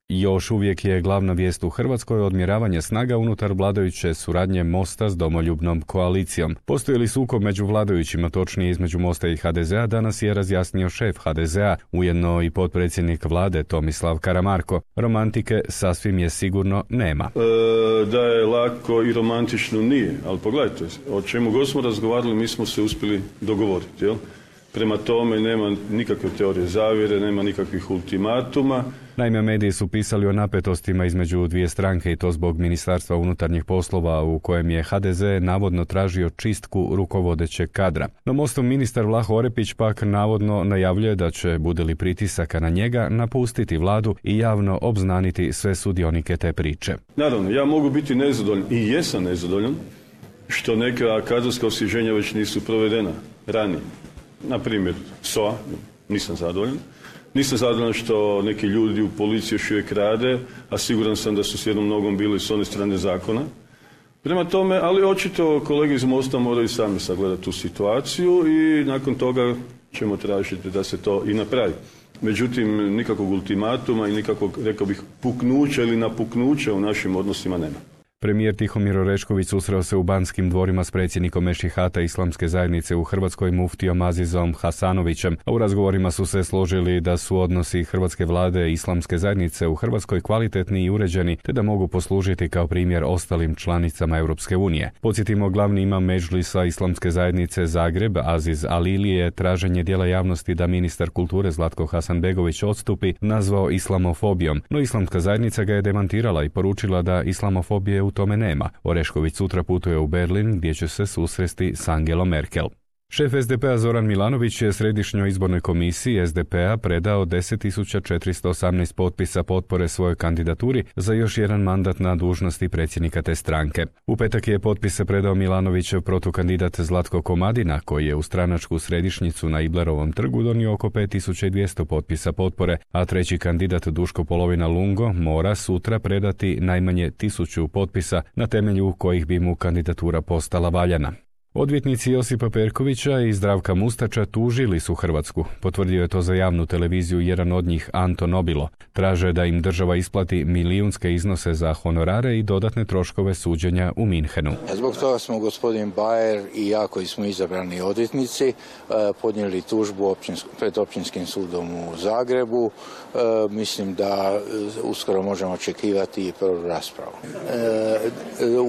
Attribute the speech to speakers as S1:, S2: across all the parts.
S1: Još uvijek je glavna vijest u Hrvatskoj odmjeravanje snaga unutar vladajuće suradnje Mosta s domoljubnom koalicijom. Postoji li sukob među vladajućima, točnije između Mosta i HDZ-a, danas je razjasnio šef HDZ-a, ujedno i potpredsjednik vlade Tomislav Karamarko. Romantike sasvim je sigurno nema.
S2: Da je lako i romantično nije, ali pogledajte, o čemu god smo razgovarali mi smo se uspjeli dogovoriti, jel? Prema tome nema nikakve teorije zavjere, nema nikakvih ultimatuma.
S1: Naime, mediji su pisali o napetostima između dvije stranke i to zbog Ministarstva unutarnjih poslova u kojem je HDZ navodno tražio čistku rukovodećeg kadra. No Mostov ministar Vlaho Orepić pak navodno najavljuje da će, bude li pritisaka na njega, napustiti vladu i javno obznaniti sve sudionike te priče.
S2: Naravno, ja mogu biti nezadovoljan i jesam nezadovoljan što neka kadrovska osvježenja već nisu provedena ranije. Na primjer, SOA, nisam zadovoljan. Nisam zadovoljan što neki ljudi u policiji još uvijek rade, a siguran sam da su s jednom nogom bili s one strane zakona. Prema tome, ali očito kolege iz Mosta moraju sami sagledati tu situaciju i nakon toga ćemo tražiti da se to i napravi. Međutim, nikakvog ultimatuma i nikakvog, rekao bih, puknuća ili napuknuća u našim odnosima nema.
S1: Premijer Tihomir Orešković susreo se u Banskim dvorima s predsjednikom Mešihata Islamske zajednice u Hrvatskoj muftijom Azizom Hasanovićem, a u razgovorima su se složili da su odnosi hrvatske vlade i Islamske zajednice u Hrvatskoj kvalitetni i uređeni, te da mogu poslužiti kao primjer ostalim članicama Europske unije. Podsjetimo, glavni imam Medžlisa Islamske zajednice Zagreb, Aziz Alili, je traženje dijela javnosti da ministar kulture Zlatko Hasanbegović odstupi nazvao islamofobijom, no Islamska zajednica ga je demantirala i poručila da islamofobije u tome nema. Orešković sutra putuje u Berlin gdje će se susresti s Angelom Merkel. Šef SDP-a Zoran Milanović je Središnjoj izbornoj komisiji SDP-a predao 10.418 potpisa potpore svojoj kandidaturi za još jedan mandat na dužnosti predsjednika te stranke. U petak je potpise predao Milanovićev protukandidat Zlatko Komadina, koji je u stranačku središnjicu na Iblerovom trgu donio oko 5.200 potpisa potpore, a treći kandidat Duško Polovina Lungo mora sutra predati najmanje 1.000 potpisa na temelju kojih bi mu kandidatura postala valjana. Odvjetnici Josipa Perkovića i Zdravka Mustača tužili su Hrvatsku. Potvrdio je to za javnu televiziju jedan od njih, Anto Nobilo. Traže da im država isplati milijunske iznose za honorare i dodatne troškove suđenja u Minhenu.
S3: Zbog toga smo gospodin Bajer i ja, koji smo izabrani odvjetnici, podnijeli tužbu pred Općinskim sudom u Zagrebu. Mislim da uskoro možemo očekivati i prvu raspravu.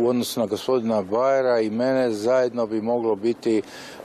S3: U odnosu na gospodina Bajera i mene zajedno bi moglo biti,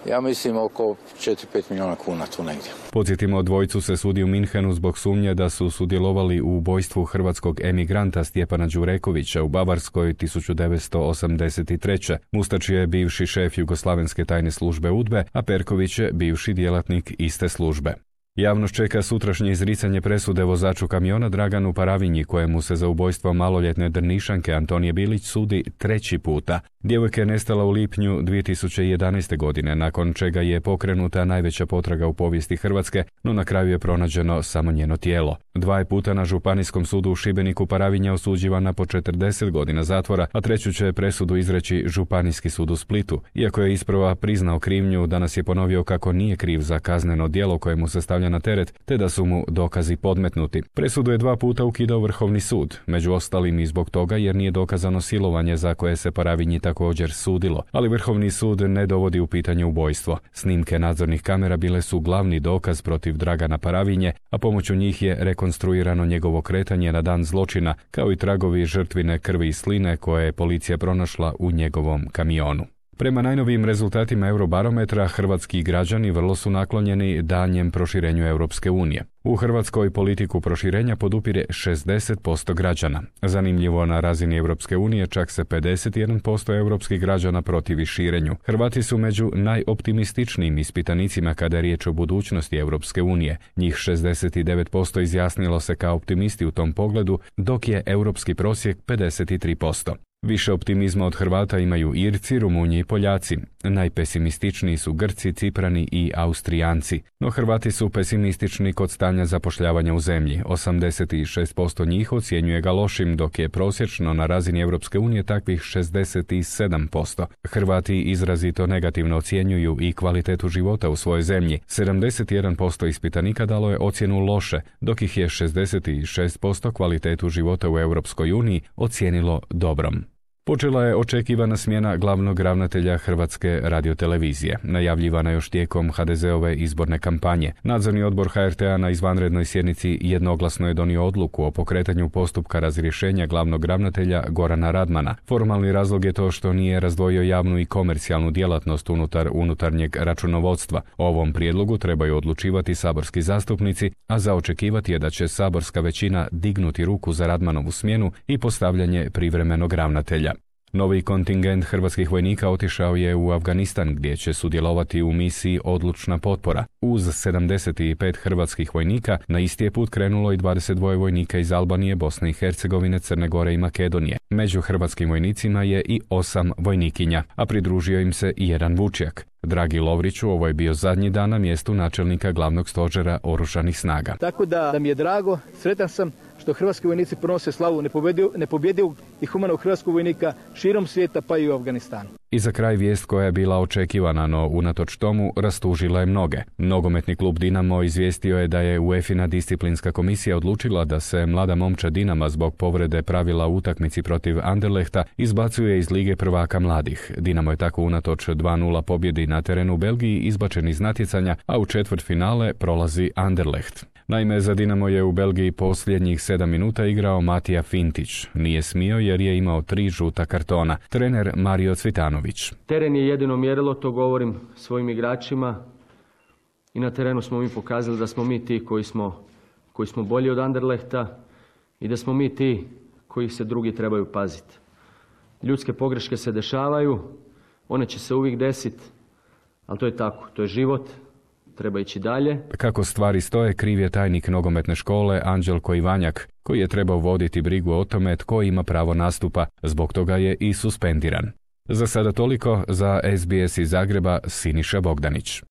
S3: ja mislim, oko 4-5 milijuna kuna tu negdje.
S1: Podsjetimo, dvojicu se sudi u Minhenu zbog sumnje da su sudjelovali u ubojstvu hrvatskog emigranta Stjepana Đurekovića u Bavarskoj 1983. Mustač je bivši šef Jugoslavenske tajne službe UDBE, a Perković je bivši djelatnik iste službe. Javnost čeka sutrašnje izricanje presude vozaču kamiona Draganu Paravinji, kojemu se za ubojstvo maloljetne Drnišanke Antonije Bilić sudi 3. puta. Djevojka je nestala u lipnju 2011. godine, nakon čega je pokrenuta najveća potraga u povijesti Hrvatske, no na kraju je pronađeno samo njeno tijelo. 2 puta na Županijskom sudu u Šibeniku Paravinja osuđivana po 40 godina zatvora, a 3. će presudu izreći Županijski sud u Splitu. Iako je isprva priznao krivnju, danas je ponovio kako nije kriv za kazneno djelo kojemu se stavlja na teret, te da su mu dokazi podmetnuti. Presudu je 2 puta ukidao Vrhovni sud, među ostalim i zbog toga jer nije dokazano silovanje za koje se Paravinji također sudilo, ali Vrhovni sud ne dovodi u pitanje ubojstvo. Snimke nadzornih kamera bile su glavni dokaz protiv Dragana Paravinje, a pomoću njih je rekonstruirano njegovo kretanje na dan zločina, kao i tragovi žrtvine krvi i sline koje je policija pronašla u njegovom kamionu. Prema najnovijim rezultatima Eurobarometra, hrvatski građani vrlo su naklonjeni daljnjem proširenju Europske unije. U Hrvatskoj politiku proširenja podupire 60% građana. Zanimljivo, na razini Europske unije čak se 51% europskih građana protivi širenju. Hrvati su među najoptimističnijim ispitanicima kada je riječ o budućnosti Europske unije. Njih 69% izjasnilo se kao optimisti u tom pogledu, dok je europski prosjek 53%. Više optimizma od Hrvata imaju Irci, Rumunji i Poljaci. Najpesimističniji su Grci, Ciprani i Austrijanci. No Hrvati su pesimistični kod stanja zapošljavanja u zemlji. 86% njih ocjenjuje ga lošim, dok je prosječno na razini Europske unije takvih 67%. Hrvati izrazito negativno ocjenjuju i kvalitetu života u svojoj zemlji. 71% ispitanika dalo je ocjenu loše, dok ih je 66% kvalitetu života u Europskoj uniji ocijenilo dobrom. Počela je očekivana smjena glavnog ravnatelja Hrvatske radiotelevizije, najavljivana još tijekom HDZ-ove izborne kampanje. Nadzorni odbor HRT-a na izvanrednoj sjednici jednoglasno je donio odluku o pokretanju postupka razrješenja glavnog ravnatelja Gorana Radmana. Formalni razlog je to što nije razdvojio javnu i komercijalnu djelatnost unutar unutarnjeg računovodstva. O ovom prijedlogu trebaju odlučivati saborski zastupnici, a za očekivati je da će saborska većina dignuti ruku za Radmanovu smjenu i postavljanje privremenog ravnatelja. Novi kontingent hrvatskih vojnika otišao je u Afganistan, gdje će sudjelovati u misiji Odlučna potpora. Uz 75 hrvatskih vojnika na isti je put krenulo i 22 vojnika iz Albanije, Bosne i Hercegovine, Crne Gore i Makedonije. Među hrvatskim vojnicima je i 8 vojnikinja, a pridružio im se i jedan vučjak. Dragi Lovriću, ovo je bio zadnji dan na mjestu načelnika glavnog stožera Oružanih snaga.
S4: Tako da mi je drago, sretan sam što hrvatski vojnici pronose slavu nepobjedivog i humanog hrvatskog vojnika širom svijeta, pa i u Afganistanu.
S1: I za kraj vijest koja je bila očekivana, no unatoč tomu rastužila je mnoge. Nogometni klub Dinamo izvijestio je da je UEFA disciplinska komisija odlučila da se mlada momčad Dinama zbog povrede pravila u utakmici protiv Anderlechta izbacuje iz Lige prvaka mladih. Dinamo je tako unatoč 2:0 pobjedi na terenu u Belgiji izbačen iz natjecanja, a u četvrtfinale prolazi Anderlecht. Naime, za Dinamo je u Belgiji posljednjih 7 minuta igrao Matija Fintić. Nije smio jer je imao 3 žuta kartona. Trener Mario Cvitanović.
S5: Teren je jedino mjerilo, to govorim svojim igračima. I na terenu smo mi pokazali da smo mi ti koji smo bolji od Anderlechta i da smo mi ti koji se drugi trebaju paziti. Ljudske pogreške se dešavaju, one će se uvijek desiti, ali to je tako, to je život. Treba ići dalje.
S1: Kako stvari stoje, kriv je tajnik nogometne škole Anđelko Ivanjak, koji je trebao voditi brigu o tome tko ima pravo nastupa. Zbog toga je i suspendiran. Za sada toliko, za SBS iz Zagreba, Siniša Bogdanić.